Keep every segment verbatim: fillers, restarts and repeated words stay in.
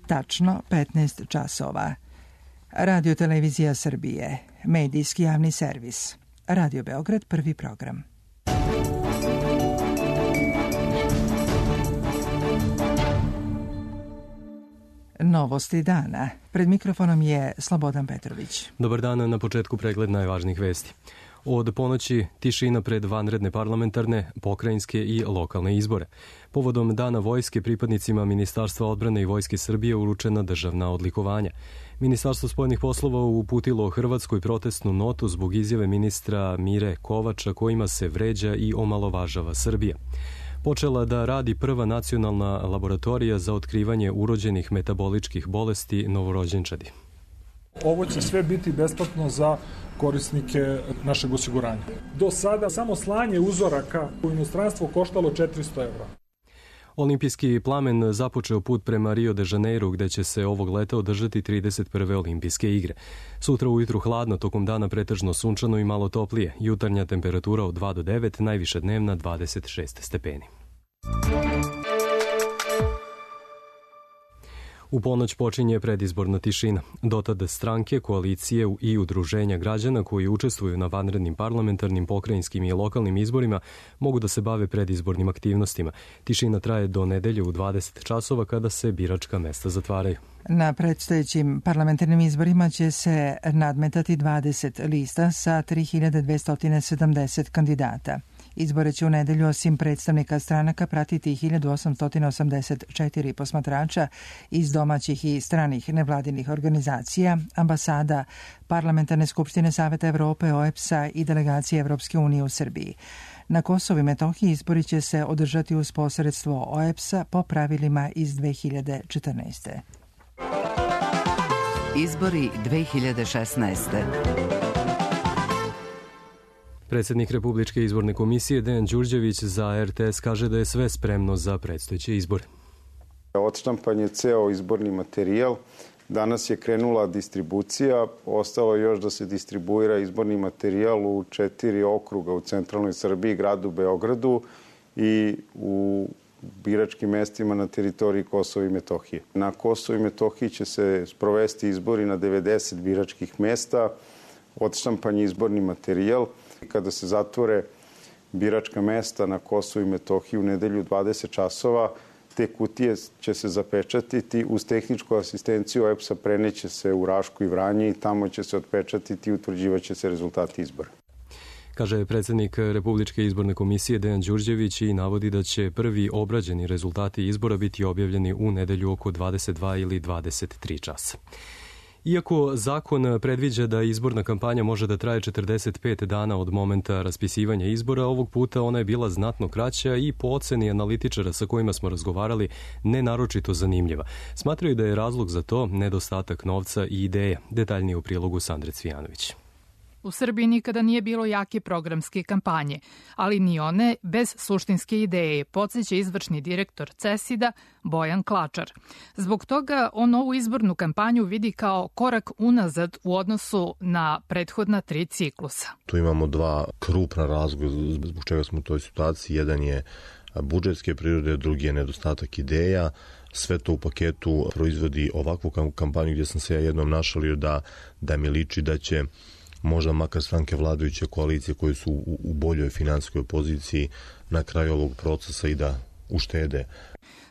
tačno petnaest časova. Radio Televizija Srbije, medijski javni servis. Radio Beograd, prvi program. Novosti dana. Pred mikrofonom je Slobodan Petrović. Dobar dan, na početku pregled najvažnijih vesti. Od ponoći tišina pred vanredne parlamentarne, pokrajinske i lokalne izbore. Povodom Dana vojske pripadnicima Ministarstva odbrane i Vojske Srbije uručena državna odlikovanja. Ministarstvo spoljnih poslova uputilo Hrvatskoj protestnu notu zbog izjave ministra Mire Kovača kojima se vređa i omalovažava Srbija. Počela da radi prva nacionalna laboratorija za otkrivanje urođenih metaboličkih bolesti novorođenčadi. Ovo će sve biti besplatno za korisnike našeg osiguranja. Do sada samo slanje uzoraka u inostranstvo koštalo četiristo evra. Olimpijski plamen započeo put prema Rio de Janeiro, gde će se ovog leta održati trideset prve olimpijske igre. Sutra ujutru hladno, tokom dana pretežno sunčano i malo toplije. Jutarnja temperatura od dva do devet, najviša dnevna dvadeset šest stepeni. U ponoć počinje predizborna tišina. Dotad stranke, koalicije i udruženja građana koji učestvuju na vanrednim parlamentarnim, pokrajinskim i lokalnim izborima mogu da se bave predizbornim aktivnostima. Tišina traje do nedelje u dvadeset časova kada se biračka mesta zatvaraju. Na predstojećim parlamentarnim izborima će se nadmetati dvadeset lista sa tri hiljade dvesta sedamdeset kandidata. Izbore će u nedelju osim predstavnika stranaka pratiti hiljadu osamsto osamdeset četiri posmatrača iz domaćih i stranih nevladinih organizacija, ambasada, Parlamentarne skupštine Saveta Evrope, O E P S-a i delegacije Evropske unije u Srbiji. Na Kosovu i Metohiji izbori će se održati uz posredstvo O E P S-a po pravilima iz dve hiljade četrnaeste. Izbori dve hiljade šesnaeste. Predsjednik Republičke izborne komisije Dejan Đurđević za R T S kaže da je sve spremno za predstojeće izbore. Odštampan je ceo izborni materijal. Danas je krenula distribucija. Ostalo je još da se distribuira izborni materijal u četiri okruga u centralnoj Srbiji, gradu Beogradu i u biračkim mestima na teritoriji Kosova i Metohije. Na Kosovu i Metohiji će se sprovesti izbori na devedeset biračkih mesta. Odštampan je izborni materijal. Kada se zatvore biračka mesta na Kosovu i Metohiji u nedelju dvadeset časova, te kutije će se zapečatiti uz tehničku asistenciju O E P S-a, preneće se u Rašku i Vranje i tamo će se otpečatiti i utvrđivaće se rezultati izbora. Kaže predsjednik Republičke izborne komisije Dejan Đurđević i navodi da će prvi obrađeni rezultati izbora biti objavljeni u nedelju oko dvadeset dva ili dvadeset tri časa. Iako zakon predviđa da izborna kampanja može da traje četrdeset pet dana od momenta raspisivanja izbora, ovog puta ona je bila znatno kraća i po oceni analitičara sa kojima smo razgovarali ne naročito zanimljiva. Smatraju da je razlog za to nedostatak novca i ideje. Detaljnije u prilogu Sandre Cvijanović. U Srbiji nikada nije bilo jake programske kampanje, ali ni one bez suštinske ideje, podsjeća izvršni direktor CESID-a Bojan Klačar. Zbog toga on ovu izbornu kampanju vidi kao korak unazad u odnosu na prethodna tri ciklusa. Tu imamo dva krupna razloga zbog čega smo u toj situaciji. Jedan je budžetske prirode, drugi je nedostatak ideja. Sve to u paketu proizvodi ovakvu kampanju gdje sam se ja jednom našalio da, da mi liči da će možda makar stranke vladajuće koalicije koje su u, u boljoj finansijskoj poziciji na kraju ovog procesa i da uštede.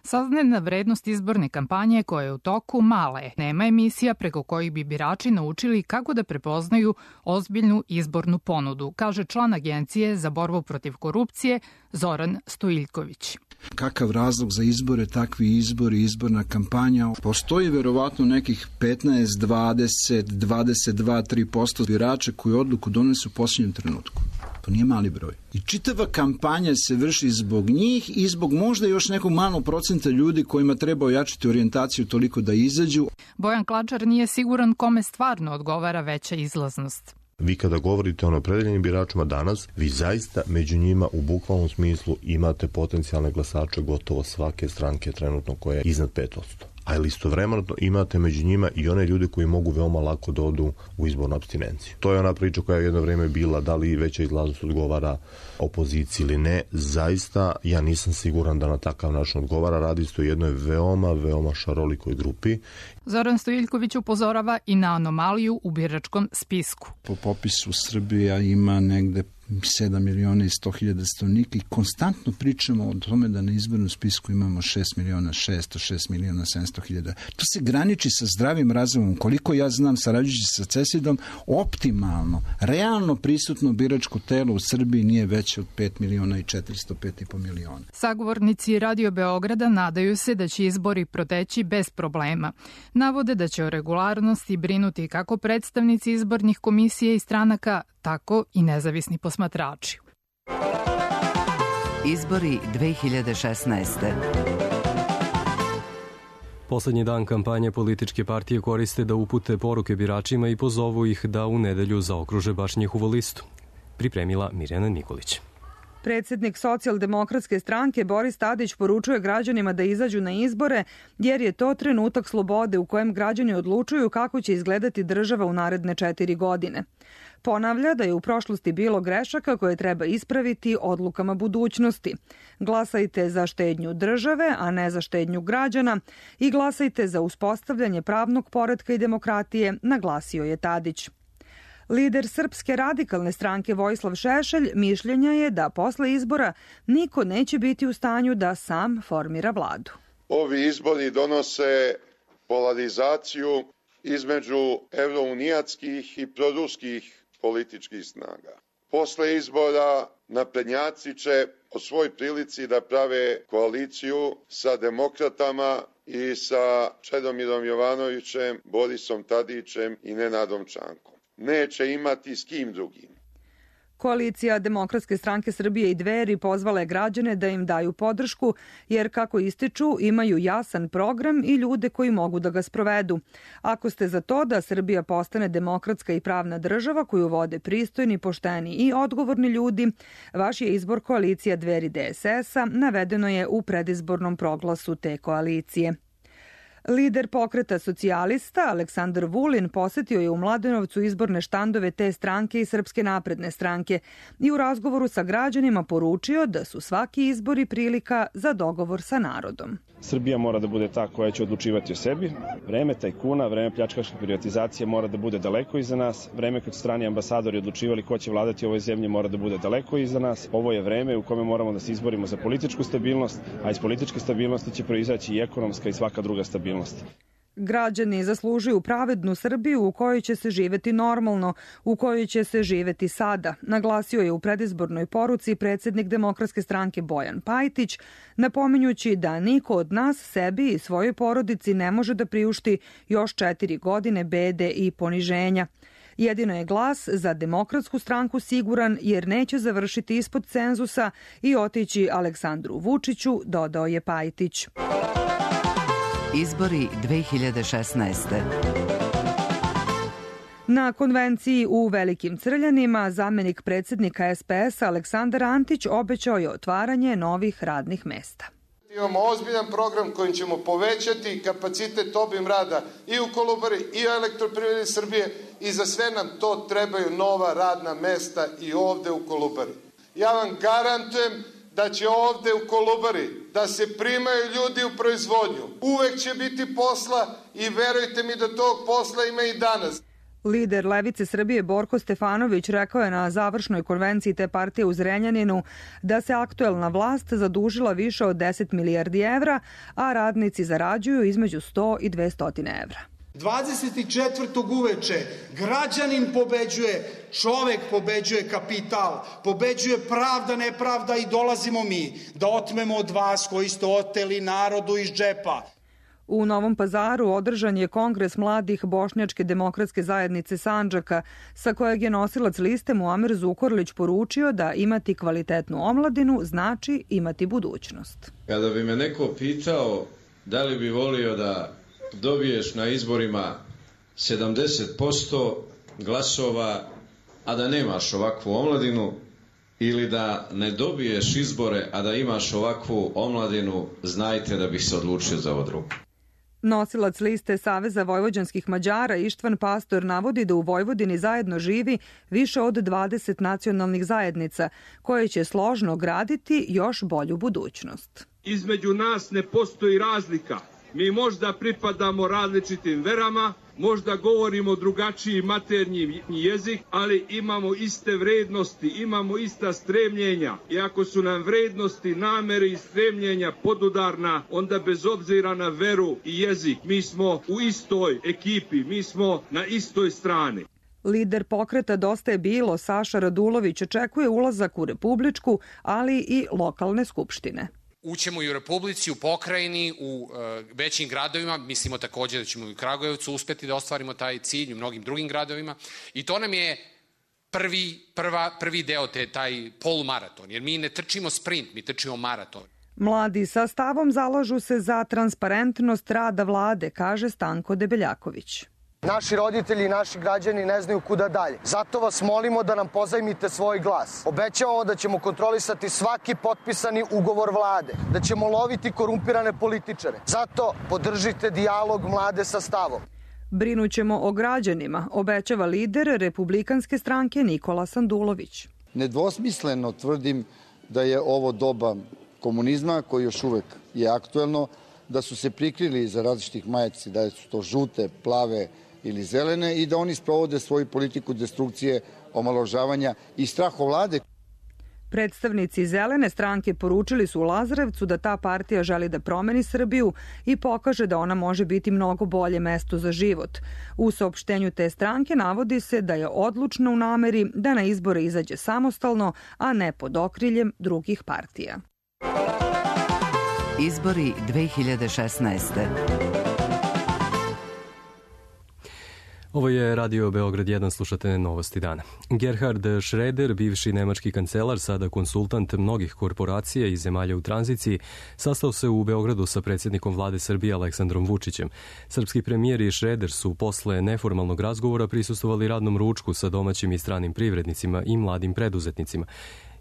Saznajna vrednost izborne kampanje koja je u toku mala je. Nema emisija preko kojih bi birači naučili kako da prepoznaju ozbiljnu izbornu ponudu, kaže član Agencije za borbu protiv korupcije Zoran Stojiljković. Kakav razlog za izbore, takvi izbori, izborna kampanja. Postoji verovatno nekih petnaest, dvadeset, dvadeset dva, tri posto birača koji odluku donesu u posljednjem trenutku. To nije mali broj. I čitava kampanja se vrši zbog njih i zbog možda još nekog malog procenta ljudi kojima treba ojačiti orijentaciju toliko da izađu. Bojan Klačar nije siguran kome stvarno odgovara veća izlaznost. Vi kada govorite o opredeljenim biračima danas, vi zaista među njima u bukvalnom smislu imate potencijalne glasače gotovo svake stranke trenutno koja je iznad pet posto. ali istovremeno imate među njima i one ljude koji mogu veoma lako da odu u izbornu apstinenciju. To je ona priča koja je jedno vreme bila da li veća izlaznost odgovara opoziciji ili ne. Zaista ja nisam siguran da na takav način odgovara. Radi se o jednoj veoma, veoma šarolikoj grupi. Zoran Stojiljković upozorava i na anomaliju u biračkom spisku. Po popisu Srbija ima negde sedam miliona i sto hiljada stanovnika i konstantno pričamo o tome da na izbornom spisku imamo šest miliona šesto, šest miliona sedamsto hiljada. To se graniči sa zdravim razumom. Koliko ja znam, sarađujući sa CESID-om, optimalno, realno prisutno biračko telo u Srbiji nije veće od pet miliona i četiristo pet i po miliona. Sagovornici Radio Beograda nadaju se da će izbori proteći bez problema. Navode da će o regularnosti brinuti kako predstavnici izbornih komisija i stranaka, tako i nezavisni posmatrači. Izbori dve hiljade šesnaeste. Poslednji dan kampanje političke partije koriste da upute poruke biračima i pozovu ih da u nedelju zaokruže baš njihovu listu. Pripremila Mirjana Nikolić. Predsednik Socijaldemokratske stranke Boris Tadić poručuje građanima da izađu na izbore jer je to trenutak slobode u kojem građani odlučuju kako će izgledati država u naredne četiri godine. Ponavlja da je u prošlosti bilo grešaka koje treba ispraviti odlukama budućnosti. Glasajte za štednju države, a ne za štednju građana i glasajte za uspostavljanje pravnog poretka i demokratije, naglasio je Tadić. Lider Srpske radikalne stranke Vojislav Šešelj mišljenja je da posle izbora niko neće biti u stanju da sam formira vladu. Ovi izbori donose polarizaciju između evrounijatskih i proruskih političkih snaga. Posle izbora naprednjaci će o svoj prilici da prave koaliciju sa demokratama i sa Čedomirom Jovanovićem, Borisom Tadićem i Nenadom Čankom. Neće imati s kim drugim. Koalicija Demokratske stranke Srbije i Dveri pozvala je građane da im daju podršku, jer kako ističu imaju jasan program i ljude koji mogu da ga sprovedu. Ako ste za to da Srbija postane demokratska i pravna država koju vode pristojni, pošteni i odgovorni ljudi, vaš je izbor koalicija Dveri D S S-a, navedeno je u predizbornom proglasu te koalicije. Lider pokreta socijalista Aleksandar Vulin posetio je u Mladenovcu izborne štandove te stranke i Srpske napredne stranke i u razgovoru sa građanima poručio da su svaki izbori prilika za dogovor sa narodom. Srbija mora da bude ta koja će odlučivati o sebi. Vreme tajkuna, vreme pljačkaške privatizacije mora da bude daleko iza nas. Vreme kad su strani ambasadori odlučivali ko će vladati ovoj zemlji mora da bude daleko iza nas. Ovo je vreme u kome moramo da se izborimo za političku stabilnost, a iz političke stabilnosti će proizaći i ekonomska i svaka druga stabilnost. Građani zaslužuju pravednu Srbiju u kojoj će se živeti normalno, u kojoj će se živeti sada, naglasio je u predizbornoj poruci predsednik Demokratske stranke Bojan Pajtić, napominjući da niko od nas sebi i svojoj porodici ne može da priušti još četiri godine bede i poniženja. Jedino je glas za Demokratsku stranku siguran jer neće završiti ispod cenzusa i otići Aleksandru Vučiću, dodao je Pajtić. Izbori dve hiljade šesnaeste. Na konvenciji u Velikim Crljanima zamenik predsednika S P S-a Aleksandar Antić obećao je otvaranje novih radnih mesta. Imamo ozbiljan program kojim ćemo povećati kapacitet obim rada i u Kolubari i u Elektroprivredi Srbije i za sve nam to trebaju nova radna mesta i ovde u Kolubari. Ja vam garantujem da će ovde u Kolubari da se primaju ljudi u proizvodnju. Uvek će biti posla i verujte mi da tog posla ima i danas. Lider Levice Srbije Borko Stefanović rekao je na završnoj konvenciji te partije u Zrenjaninu da se aktuelna vlast zadužila više od deset milijardi evra, a radnici zarađuju između sto i dvesta evra. dvadeset četvrtog uveče građanin pobeđuje, čovek pobeđuje kapital, pobeđuje pravda, nepravda i dolazimo mi da otmemo od vas koji ste oteli narodu iz džepa. U Novom Pazaru održan je kongres mladih Bošnjačke demokratske zajednice Sandžaka, sa kojeg je nosilac liste Muamer Zukorlić poručio da imati kvalitetnu omladinu znači imati budućnost. Kada bi me neko pitao da li bi volio da dobiješ na izborima sedamdeset posto glasova, a da nemaš ovakvu omladinu, ili da ne dobiješ izbore, a da imaš ovakvu omladinu, znajte da bih se odlučio za ovo drugo. Nosilac liste Saveza vojvođanskih Mađara Ištvan Pastor navodi da u Vojvodini zajedno živi više od dvadeset nacionalnih zajednica, koje će složno graditi još bolju budućnost. Između nas ne postoji razlika. Mi možda pripadamo različitim verama, možda govorimo drugačiji maternji jezik, ali imamo iste vrednosti, imamo ista stremljenja. I ako su nam vrednosti, namere i stremljenja podudarna, onda bez obzira na veru i jezik, mi smo u istoj ekipi, mi smo na istoj strani. Lider pokreta Dosta je bilo, Saša Radulović, očekuje ulazak u republičku, ali i lokalne skupštine. Ućemo i u Republici, u pokrajini, u e, većim gradovima, mislimo takođe da ćemo i u Kragujevcu uspeti da ostvarimo taj cilj, u mnogim drugim gradovima i to nam je prvi, prva, prvi deo, te, taj polumaraton, jer mi ne trčimo sprint, mi trčimo maraton. Mladi sa stavom zalažu se za transparentnost rada vlade, kaže Stanko Debeljaković. Naši roditelji i naši građani ne znaju kuda dalje. Zato vas molimo da nam pozajmite svoj glas. Obećavamo da ćemo kontrolisati svaki potpisani ugovor vlade, da ćemo loviti korumpirane političare. Zato podržite dijalog mlade sa stavom. Brinućemo o građanima, obećava lider Republikanske stranke Nikola Sandulović. Nedvosmisleno tvrdim da je ovo doba komunizma koji još uvek je aktuelno, da su se prikrili iza različitih majici, da su to žute, plave ili zelene i da oni sprovode svoju politiku destrukcije, omalovažavanja i strahovlade. Predstavnici Zelene stranke poručili su u Lazarevcu da ta partija želi da promeni Srbiju i pokaže da ona može biti mnogo bolje mesto za život. U saopštenju te stranke navodi se da je odlučna u nameri da na izbore izađe samostalno, a ne pod okriljem drugih partija. Izbori dve hiljade šesnaeste. Ovo je Radio Beograd jedan, slušate Novosti dana. Gerhard Schröder, bivši nemački kancelar, sada konsultant mnogih korporacija i zemalja u tranziciji, sastao se u Beogradu sa predsjednikom vlade Srbije Aleksandrom Vučićem. Srpski premijer i Schröder su posle neformalnog razgovora prisustvovali radnom ručku sa domaćim i stranim privrednicima i mladim preduzetnicima,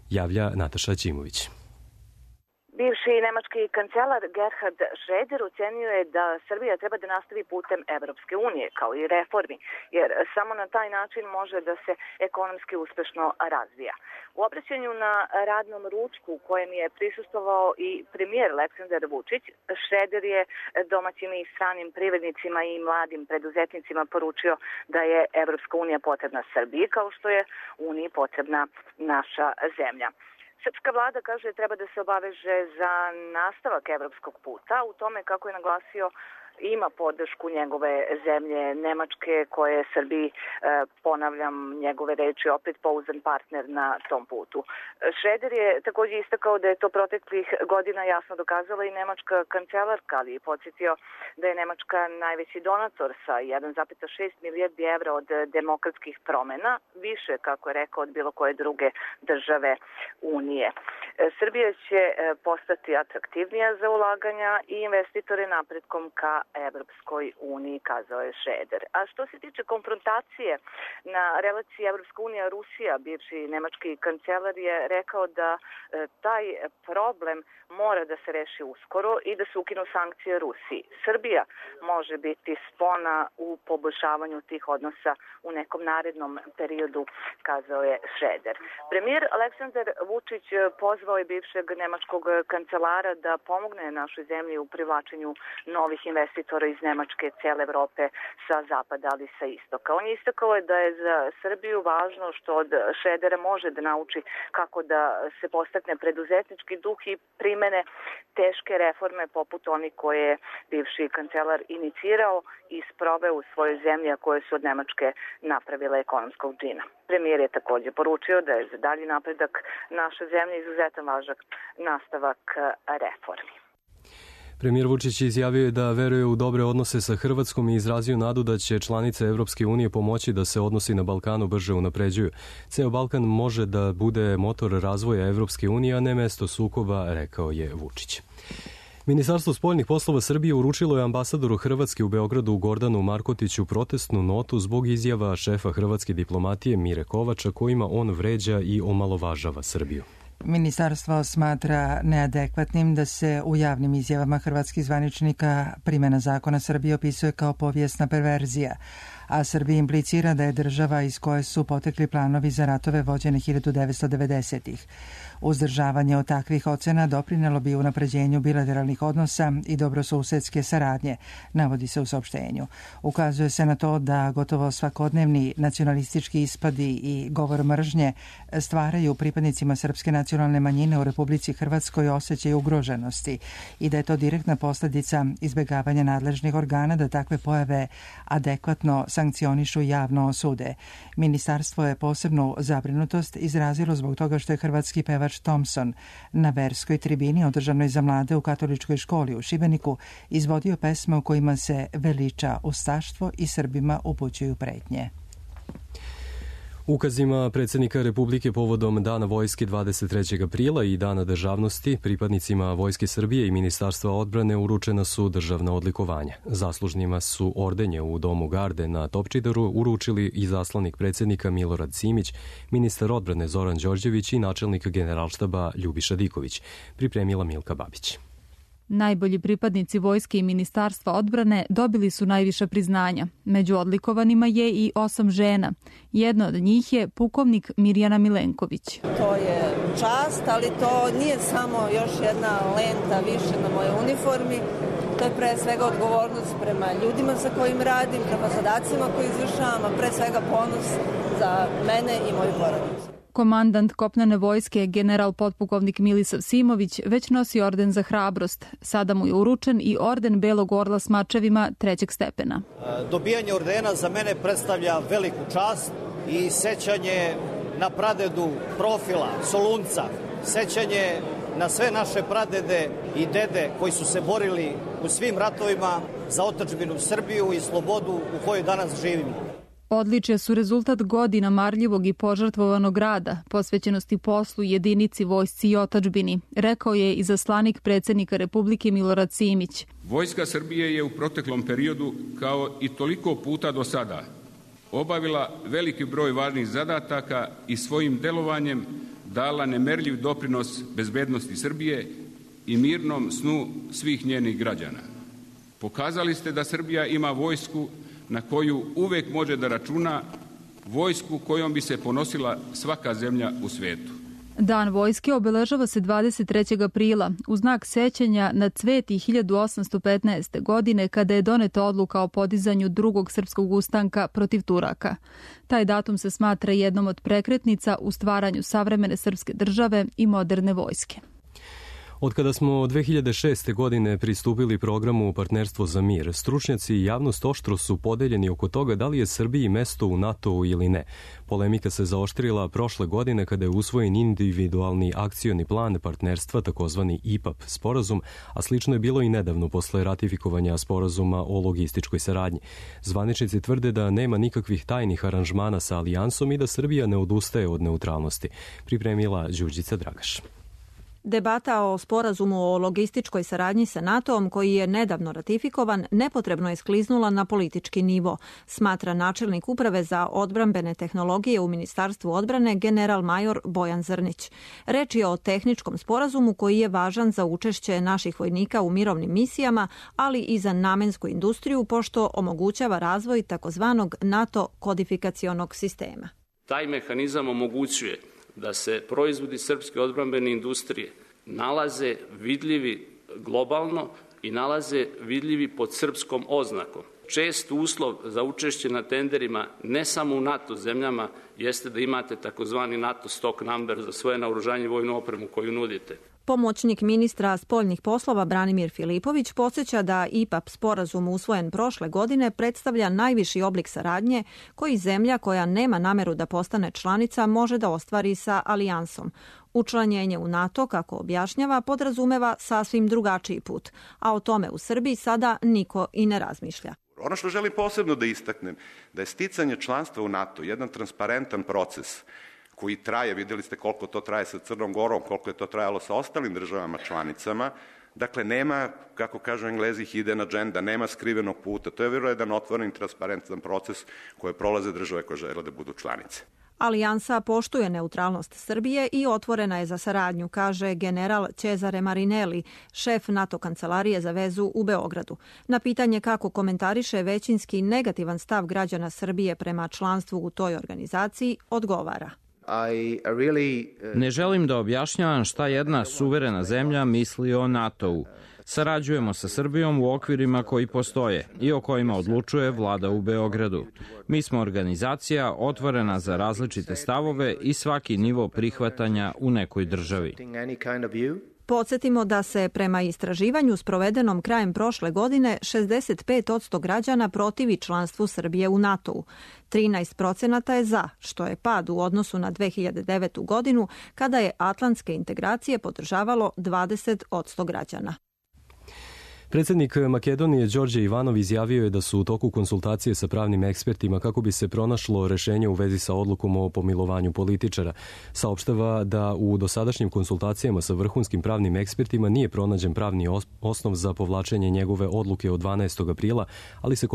javlja Nataša Ćimović. Bivši nemački kancelar Gerhard Schröder ocenio je da Srbija treba da nastavi putem Evropske unije, kao i reformi, jer samo na taj način može da se ekonomski uspešno razvija. U obraćanju na radnom ručku u kojem je prisustvovao i premijer Aleksandar Vučić, Schröder je domaćim i stranim privrednicima i mladim preduzetnicima poručio da je Evropska unija potrebna Srbiji, kao što je Uniji potrebna naša zemlja. Srpska vlada, kaže, treba da se obaveže za nastavak evropskog puta u tome, kako je naglasio, ima podršku njegove zemlje Nemačke, koje je Srbiji, ponavljam njegove reči, opet pouzdan partner na tom putu. Schröder je također istakao da je to proteklih godina jasno dokazala i nemačka kancelarka, ali je podsjetio da je Nemačka najveći donator sa jedan zarez šest milijardi evra od demokratskih promena, više, kako je rekao, od bilo koje druge države Unije. Srbija će postati atraktivnija za ulaganja i investitore napretkom ka Evropskoj uniji, kazao je Schröder. A što se tiče konfrontacije na relaciji Evropska unija-Rusija, bivši nemački kancelar je rekao da e, taj problem mora da se reši uskoro i da se ukinu sankcije Rusiji. Srbija može biti spona u poboljšavanju tih odnosa u nekom narednom periodu, kazao je Schröder. Premijer Aleksandar Vučić pozvao je bivšeg nemačkog kancelara da pomogne našoj zemlji u privlačenju novih investitora iz Nemačke, cijele Evrope, sa zapada, ali sa istoka. On je istakao da je za Srbiju važno što od Schrödera može da nauči kako da se postakne preduzetnički duh i primene teške reforme poput onih koje je bivši kancelar inicirao i sproveo u svojoj zemlji, a koje su od Nemačke napravile ekonomskog džina. Premijer je također poručio da je za dalji napredak naše zemlje izuzetan važan nastavak reformi. Premijer Vučić izjavio je da veruje u dobre odnose sa Hrvatskom i izrazio nadu da će članice Evropske unije pomoći da se odnosi na Balkanu brže unapređuju. Ceo Balkan može da bude motor razvoja Evropske unije, a ne mesto sukoba, rekao je Vučić. Ministarstvo spoljnih poslova Srbije uručilo je ambasadoru Hrvatske u Beogradu Gordanu Markotiću protestnu notu zbog izjava šefa hrvatske diplomatije Mire Kovača kojima on vređa i omalovažava Srbiju. Ministarstvo smatra neadekvatnim da se u javnim izjavama hrvatskih zvaničnika primjena zakona Srbije opisuje kao povijesna perverzija, a Srbija implicira da je država iz koje su potekli planovi za ratove vođene hiljadu devetsto devedesetih. Uzdržavanje od takvih ocena doprinelo bi unapređenju bilateralnih odnosa i dobrosusedske saradnje, navodi se u saopštenju. Ukazuje se na to da gotovo svakodnevni nacionalistički ispadi i govor mržnje stvaraju pripadnicima srpske nacionalne manjine u Republici Hrvatskoj osjećaj ugroženosti i da je to direktna posljedica izbjegavanja nadležnih organa da takve pojave adekvatno sankcionišu i javno osude. Ministarstvo je posebnu zabrinutost izrazilo zbog toga što je hrvatski pevač Thompson na verskoj tribini održanoj za mlade u katoličkoj školi u Šibeniku izvodio pesme u kojima se veliča ustaštvo i Srbima upućuju pretnje. Ukazima predsjednika Republike povodom Dana vojske dvadeset trećeg aprila i Dana državnosti pripadnicima Vojske Srbije i Ministarstva odbrane uručena su državna odlikovanja. Zaslužnima su ordenje u Domu garde na Topčideru uručili i zaslanik predsjednika Milorad Simić, ministar odbrane Zoran Đorđević i načelnik generalštaba Ljubiša Diković, pripremila Milka Babić. Najbolji pripadnici vojske i Ministarstva odbrane dobili su najviša priznanja. Među odlikovanima je i osam žena. Jedna od njih je pukovnik Mirjana Milenković. To je čast, ali to nije samo još jedna lenta više na mojoj uniformi. To je pre svega odgovornost prema ljudima sa kojim radim, prema zadacima koje izvršavam, a pre svega ponos za mene i moju porodicu. Komandant kopnene vojske, general potpukovnik Milisav Simović, već nosi orden za hrabrost. Sada mu je uručen i orden Belog orla s mačevima trećeg stepena. Dobijanje ordena za mene predstavlja veliku čast i sećanje na pradedu Profila, Solunca, sećanje na sve naše pradede i dede koji su se borili u svim ratovima za otadžbinu Srbiju i slobodu u kojoj danas živimo. Odličja su rezultat godina marljivog i požrtvovanog rada, posvećenosti poslu, jedinici, vojsci i otadžbini, rekao je i zaslanik predsjednika Republike Milorad Simić. Vojska Srbije je u proteklom periodu, kao i toliko puta do sada, obavila veliki broj važnih zadataka i svojim delovanjem dala nemerljiv doprinos bezbednosti Srbije i mirnom snu svih njenih građana. Pokazali ste da Srbija ima vojsku na koju uvek može da računa, vojsku kojom bi se ponosila svaka zemlja u svetu. Dan vojske obeležava se dvadeset trećeg aprila u znak sećanja na Cveti hiljadu osamsto petnaeste. godine kada je doneta odluka o podizanju drugog srpskog ustanka protiv Turaka. Taj datum se smatra jednom od prekretnica u stvaranju savremene srpske države i moderne vojske. Od kada smo dve hiljade šeste. godine pristupili programu Partnerstvo za mir, stručnjaci i javnost oštro su podeljeni oko toga da li je Srbiji mesto u NATO-u ili ne. Polemika se zaoštrila prošle godine kada je usvojen individualni akcioni plan partnerstva, takozvani I P A P sporazum, a slično je bilo i nedavno posle ratifikovanja sporazuma o logističkoj saradnji. Zvaničnici tvrde da nema nikakvih tajnih aranžmana sa alijansom i da Srbija ne odustaje od neutralnosti. Pripremila Đurđica Dragaš. Debata o sporazumu o logističkoj saradnji sa NATO-om, koji je nedavno ratifikovan, nepotrebno je skliznula na politički nivo, smatra načelnik uprave za odbrambene tehnologije u Ministarstvu odbrane general major Bojan Zrnić. Reč je o tehničkom sporazumu koji je važan za učešće naših vojnika u mirovnim misijama, ali i za namensku industriju, pošto omogućava razvoj takozvanog NATO kodifikacionog sistema. Taj mehanizam omogućuje da se proizvodi srpske odbrambene industrije nalaze vidljivi globalno i nalaze vidljivi pod srpskom oznakom. Čest uslov za učešće na tenderima ne samo u NATO zemljama jeste da imate takozvani NATO stock number za svoje naoružanje i vojnu opremu koju nudite. Pomoćnik ministra spoljnih poslova Branimir Filipović podsjeća da I P A P sporazum usvojen prošle godine predstavlja najviši oblik saradnje koji zemlja koja nema nameru da postane članica može da ostvari sa alijansom. Učlanjenje u NATO, kako objašnjava, podrazumeva sasvim drugačiji put, a o tome u Srbiji sada niko i ne razmišlja. Ono što želim posebno da istaknem, da je sticanje članstva u NATO jedan transparentan proces koji traje, vidjeli ste koliko to traje sa Crnom Gorom, koliko je to trajalo sa ostalim državama članicama. Dakle, nema, kako kažu Englezi, hidden agenda, nema skrivenog puta. To je vjerojatno jedan otvoren i transparentan proces koje prolaze države koje žele da budu članice. Alijansa poštuje neutralnost Srbije i otvorena je za saradnju, kaže general Cezare Marinelli, šef NATO kancelarije za vezu u Beogradu. Na pitanje kako komentariše većinski negativan stav građana Srbije prema članstvu u toj organizaciji, odgovara. Ne želim da objašnjavam šta jedna suverena zemlja misli o NATO-u. Sarađujemo sa Srbijom u okvirima koji postoje i o kojima odlučuje vlada u Beogradu. Mi smo organizacija otvorena za različite stavove i svaki nivo prihvatanja u nekoj državi. Podsjetimo da se prema istraživanju sprovedenom krajem prošle godine šezdeset pet posto građana protivi članstvu Srbije u NATO-u. trinaest procenata je za, što je pad u odnosu na dve hiljade devetu godinu, kada je atlantske integracije podržavalo dvadeset posto građana. Predsjednik Makedonije Đorđe Ivanov izjavio je da su u toku konsultacije sa pravnim ekspertima kako bi se pronašlo rešenje u vezi sa odlukom o pomilovanju političara. Saopštava da u dosadašnjim konsultacijama sa vrhunskim pravnim ekspertima nije pronađen pravni osnov za povlačenje njegove odluke od dvanaestog aprila, ali se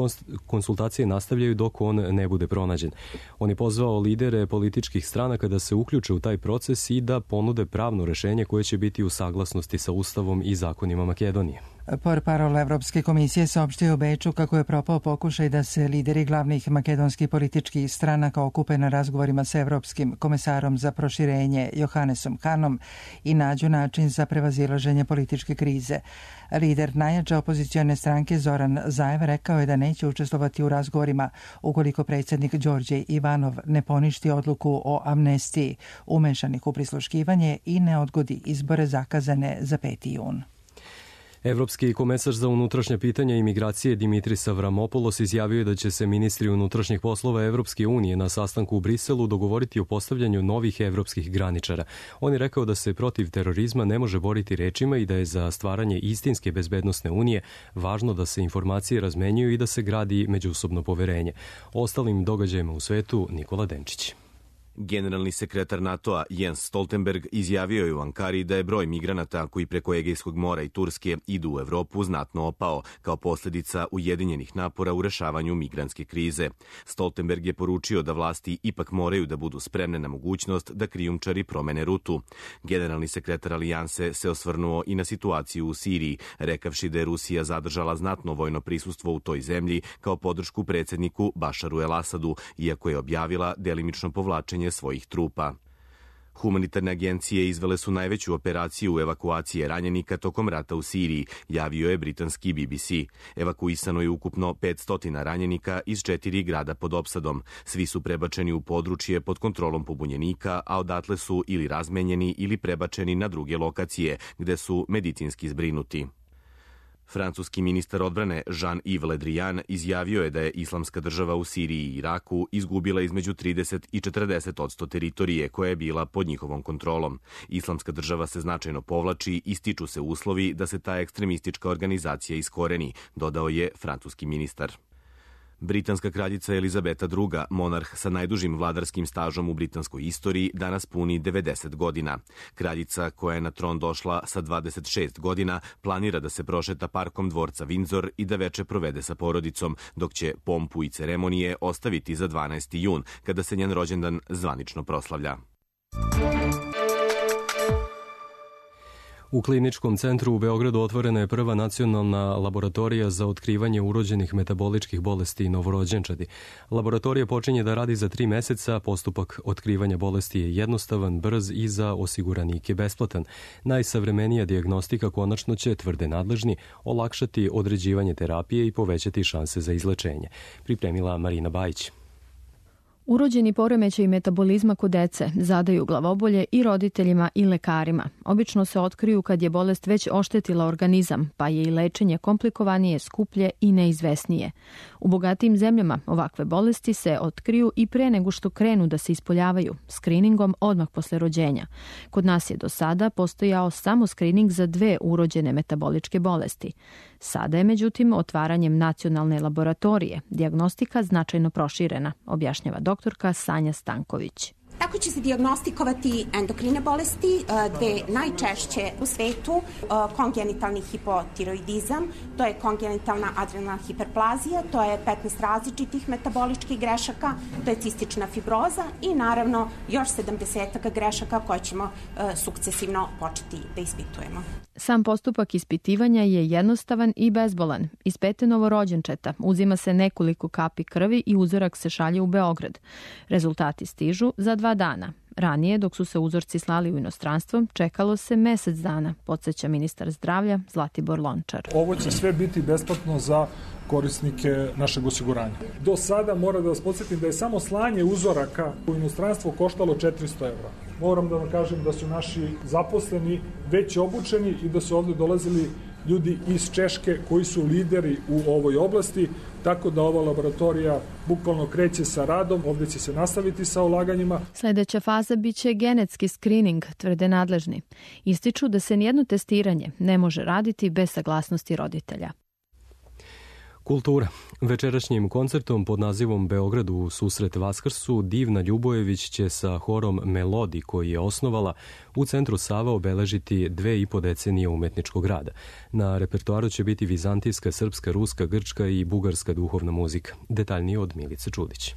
konsultacije nastavljaju dok on ne bude pronađen. On je pozvao lidere političkih stranaka da se uključe u taj proces i da ponude pravno rešenje koje će biti u saglasnosti sa Ustavom i zakonima Makedonije. Portparol Evropske komisije saopštio u Beču kako je propao pokušaj da se lideri glavnih makedonskih političkih stranaka okupe na razgovorima sa Evropskim komesarom za proširenje Johannesom Hanom i nađu način za prevazilaženje političke krize. Lider najjače opozicione stranke Zoran Zaev rekao je da neće učestvovati u razgovorima ukoliko predsjednik Đorđe Ivanov ne poništi odluku o amnestiji umešanih u prisluškivanje i ne odgodi izbore zakazane za peti jun. Evropski komesar za unutrašnje pitanja i migracije Dimitris Avramopoulos izjavio je da će se ministri unutrašnjih poslova Evropske unije na sastanku u Briselu dogovoriti o postavljanju novih evropskih graničara. On je rekao da se protiv terorizma ne može boriti rečima i da je za stvaranje istinske bezbednosne unije važno da se informacije razmenjuju i da se gradi međusobno poverenje. O ostalim događajima u svetu Nikola Denčić. Generalni sekretar NATO-a Jens Stoltenberg izjavio je u Ankari da je broj migranata koji preko Egejskog mora i Turske idu u Evropu znatno opao kao posljedica ujedinjenih napora u rešavanju migrantske krize. Stoltenberg je poručio da vlasti ipak moraju da budu spremne na mogućnost da krijumčari promene rutu. Generalni sekretar Alijanse se osvrnuo i na situaciju u Siriji, rekavši da je Rusija zadržala znatno vojno prisustvo u toj zemlji kao podršku predsjedniku Bašaru el Asadu, iako je objavila delimično povlačenje svojih trupa. Humanitarne agencije izvele su najveću operaciju evakuacije ranjenika tokom rata u Siriji, javio je britanski B B C. Evakuisano je ukupno petsto ranjenika iz četiri grada pod opsadom. Svi su prebačeni u područje pod kontrolom pobunjenika, a odatle su ili razmenjeni ili prebačeni na druge lokacije, gde su medicinski zbrinuti. Francuski ministar odbrane Jean-Yves Le Drian izjavio je da je Islamska država u Siriji i Iraku izgubila između trideset i četrdeset posto teritorije koja je bila pod njihovom kontrolom. Islamska država se značajno povlači i stiču se uslovi da se ta ekstremistička organizacija iskoreni, dodao je francuski ministar. Britanska kraljica Elizabeta druga, monarh sa najdužim vladarskim stažom u britanskoj istoriji, danas puni devedeset godina. Kraljica, koja je na tron došla sa dvadeset šest godina, planira da se prošeta parkom dvorca Windsor i da veče provede sa porodicom, dok će pompu i ceremonije ostaviti za dvanaesti jun, kada se njen rođendan zvanično proslavlja. U Kliničkom centru u Beogradu otvorena je prva nacionalna laboratorija za otkrivanje urođenih metaboličkih bolesti i novorođenčadi. Laboratorija počinje da radi za tri meseca, postupak otkrivanja bolesti je jednostavan, brz i za osiguranike besplatan. Najsavremenija dijagnostika konačno će, tvrde nadležni, olakšati određivanje terapije i povećati šanse za izlečenje. Pripremila Marina Bajić. Urođeni poremećaji metabolizma kod dece zadaju glavobolje i roditeljima i lekarima. Obično se otkriju kad je bolest već oštetila organizam, pa je i lečenje komplikovanije, skuplje i neizvesnije. U bogatijim zemljama ovakve bolesti se otkriju i pre nego što krenu da se ispoljavaju, skriningom odmah posle rođenja. Kod nas je do sada postojao samo skrining za dve urođene metaboličke bolesti. Sada je, međutim, otvaranjem nacionalne laboratorije dijagnostika značajno proširena, objašnjava doktorka Sanja Stanković. Tako će se dijagnostikovati endokrine bolesti, dve najčešće u svetu, kongenitalni hipotiroidizam, to je kongenitalna adrenalna hiperplazija, to je petnaest različitih metaboličkih grešaka, to je cistična fibroza i naravno još sedamdeset grešaka koje ćemo sukcesivno početi da ispitujemo. Sam postupak ispitivanja je jednostavan i bezbolan. Iz pete novorođenčeta uzima se nekoliko kapi krvi i uzorak se šalje u Beograd. Rezultati stižu za dva dana. Ranije, dok su se uzorci slali u inostranstvo, čekalo se mesec dana, podsjeća ministar zdravlja Zlatibor Lončar. Ovo će sve biti besplatno za korisnike našeg osiguranja. Do sada mora da vas podsjetim da je samo slanje uzoraka u inostranstvo koštalo četiristo evra. Moram da vam kažem da su naši zaposleni već obučeni i da su ovde dolazili ljudi iz Češke koji su lideri u ovoj oblasti, tako da ova laboratorija bukvalno kreće sa radom, ovde će se nastaviti sa ulaganjima. Sljedeća faza biće genetski screening, tvrde nadležni. Ističu da se nijedno testiranje ne može raditi bez saglasnosti roditelja. Kultura. Večerašnjim koncertom pod nazivom Beograd u susret Vaskrsu Divna Ljubojević će sa horom Melodi, koji je osnovala, u centru Sava obeležiti dve i po decenije umetničkog rada. Na repertoaru će biti vizantijska, srpska, ruska, grčka i bugarska duhovna muzika. Detaljnije od Milice Čudić.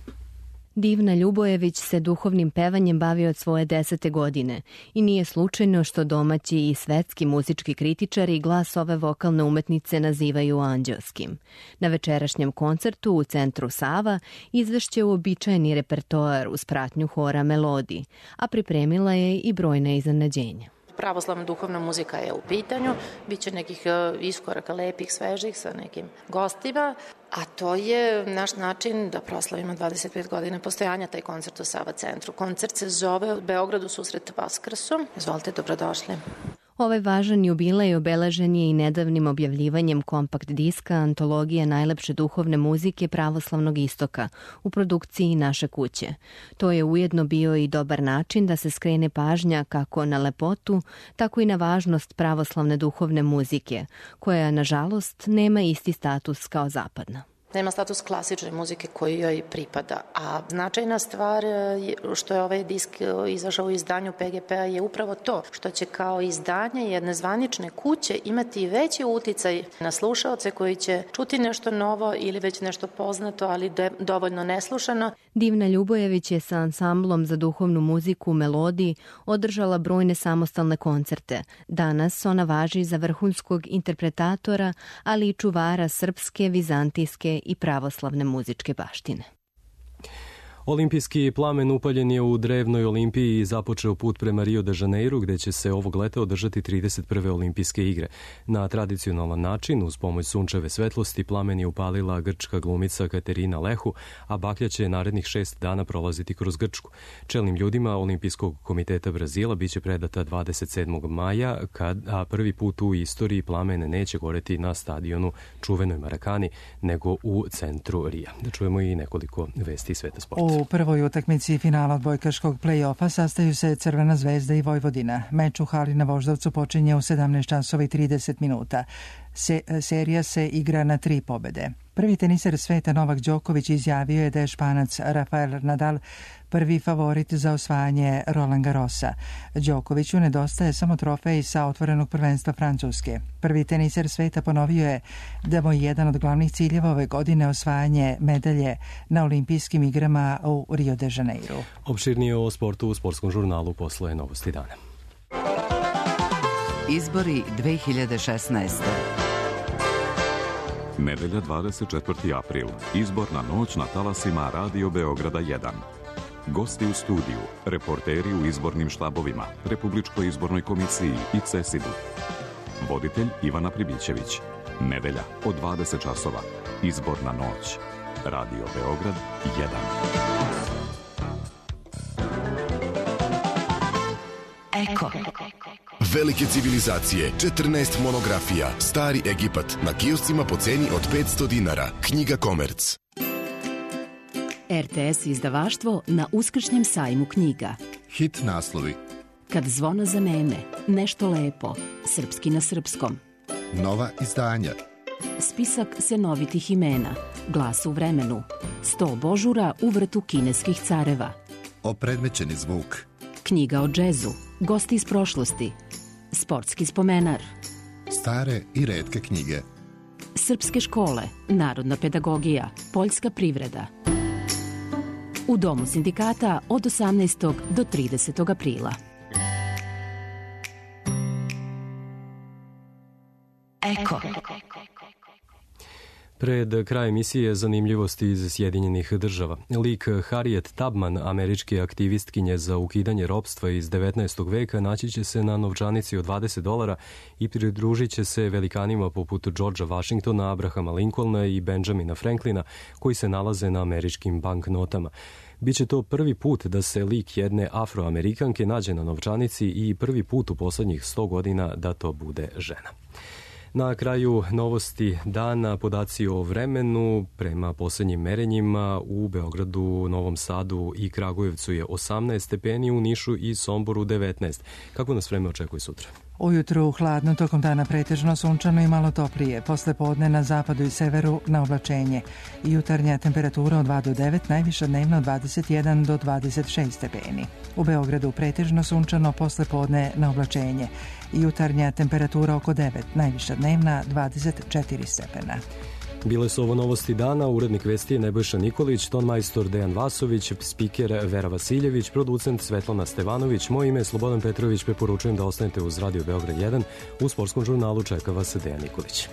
Divna Ljubojević se duhovnim pevanjem bavi od svoje desete godine i nije slučajno što domaći i svetski muzički kritičari glas ove vokalne umetnice nazivaju anđelskim. Na večerašnjem koncertu u centru Sava izvešće uobičajeni repertoar uz pratnju hora Melodi, a pripremila je i brojna iznenađenja. Pravoslavna duhovna muzika je u pitanju, bit će nekih iskoraka lepih, svežih sa nekim gostima, a to je naš način da proslavimo dvadeset pet godina postojanja taj koncert u Sava centru. Koncert se zove Beograd u susret Vaskrsu. Izvolite, dobrodošli. Ovaj važan jubilej obeležen je i nedavnim objavljivanjem kompakt diska Antologija najlepše duhovne muzike pravoslavnog istoka u produkciji Naše kuće. To je ujedno bio i dobar način da se skrene pažnja kako na lepotu, tako i na važnost pravoslavne duhovne muzike, koja, nažalost, nema isti status kao zapadna. Nema status klasične muzike koji joj pripada, a značajna stvar što je ovaj disk izašao u izdanju P G P-a je upravo to što će kao izdanje jedne zvanične kuće imati veći uticaj na slušaoce koji će čuti nešto novo ili već nešto poznato, ali de, dovoljno neslušano. Divna Ljubojević je sa ansamblom za duhovnu muziku u Melodiji održala brojne samostalne koncerte. Danas ona važi za vrhunskog interpretatora, ali i čuvara srpske, vizantijske i pravoslavne muzičke baštine. Olimpijski plamen upaljen je u drevnoj Olimpiji i započeo put prema Rio de Janeiro, gde će se ovog leta održati trideset prve olimpijske igre. Na tradicionalan način, uz pomoć sunčeve svetlosti, plamen je upalila grčka glumica Katerina Lehu, a baklja će narednih šest dana prolaziti kroz Grčku. Čelnim ljudima Olimpijskog komiteta Brazila biće predata dvadeset sedmog maja, kad, a prvi put u istoriji plamen neće goreti na stadionu čuvenoj Marakani, nego u centru Rija. Da čujemo i nekoliko vesti iz sveta sporta. U prvoj utakmici finala odbojkaškog play-offa sastaju se Crvena zvezda i Vojvodina. Meč u hali na Voždovcu počinje u sedamnaest časova i trideset minuta. Se, serija se igra na tri pobede. Prvi teniser sveta Novak Đoković izjavio je da je Španac Rafael Nadal prvi favorit za osvajanje Roland Garrosa. Đokoviću nedostaje samo trofej sa otvorenog prvenstva Francuske. Prvi teniser sveta ponovio je da mu je jedan od glavnih ciljeva ove godine osvajanje medalje na olimpijskim igrama u Rio de Janeiro. Opširnije o sportu u sportskom žurnalu posle Novosti dana. Izbori dve hiljade šesnaeste. Nedelja dvadeset četvrti april. Izborna noć na talasima Radio Beograda jedan. Gosti u studiju, reporteri u izbornim štabovima, Republičkoj izbornoj komisiji i CESID-u. Voditelj Ivana Pribićević. Nedelja od dvadeset časova. Izborna noć. Radio Beograd jedan. Eko. Velike civilizacije, četrnaest monografija, Stari Egipat, na kioscima po ceni od petsto dinara. Knjiga Komerc. R T S izdavaštvo na uskršnjem sajmu knjiga. Hit naslovi. Kad zvona zaneme, nešto lepo, srpski na srpskom. Nova izdanja. Spisak senovitih imena, Glas u vremenu, sto božura u vrtu kineskih careva. opredmećeni zvuk. Knjiga o džezu, gosti iz prošlosti, sportski spomenar. Stare i retke knjige. Srpske škole, narodna pedagogija, poljska privreda. U Domu sindikata od osamnaestog do tridesetog aprila. Eko. Pred kraj emisije zanimljivosti iz Sjedinjenih država. Lik Harriet Tubman, američke aktivistkinje za ukidanje ropstva iz devetnaestog veka, naći će se na novčanici od dvadeset dolara i pridružit će se velikanima poput Georgea Washingtona, Abrahama Lincolna i Benjamina Franklina, koji se nalaze na američkim banknotama. Biće to prvi put da se lik jedne afroamerikanke nađe na novčanici i prvi put u poslednjih sto godina da to bude žena. Na kraju novosti dana, podaci o vremenu. Prema poslednjim merenjima u Beogradu, Novom Sadu i Kragujevcu je osamnaest stepeni, u Nišu i Somboru devetnaest. Kako nas vreme očekuje sutra? Ujutru hladno, tokom dana pretežno sunčano i malo toplije. Posle podne na zapadu i severu na oblačenje. Jutarnja temperatura od dva do devet, najviša dnevna od dvadeset jedan do dvadeset šest stepeni. U Beogradu pretežno sunčano, posle podne na oblačenje. Jutarnja temperatura oko devet, najviša dnevna dvadeset četiri stepena. Bile su ovo novosti dana, urednik vesti je Nebojša Nikolić, tonmajstor Dejan Vasović, spiker Vera Vasiljević, producent Svetlana Stevanović, moje ime je Slobodan Petrović, preporučujem da ostanete uz Radio Beograd jedan, u sportskom žurnalu čeka vas Dejan Nikolić.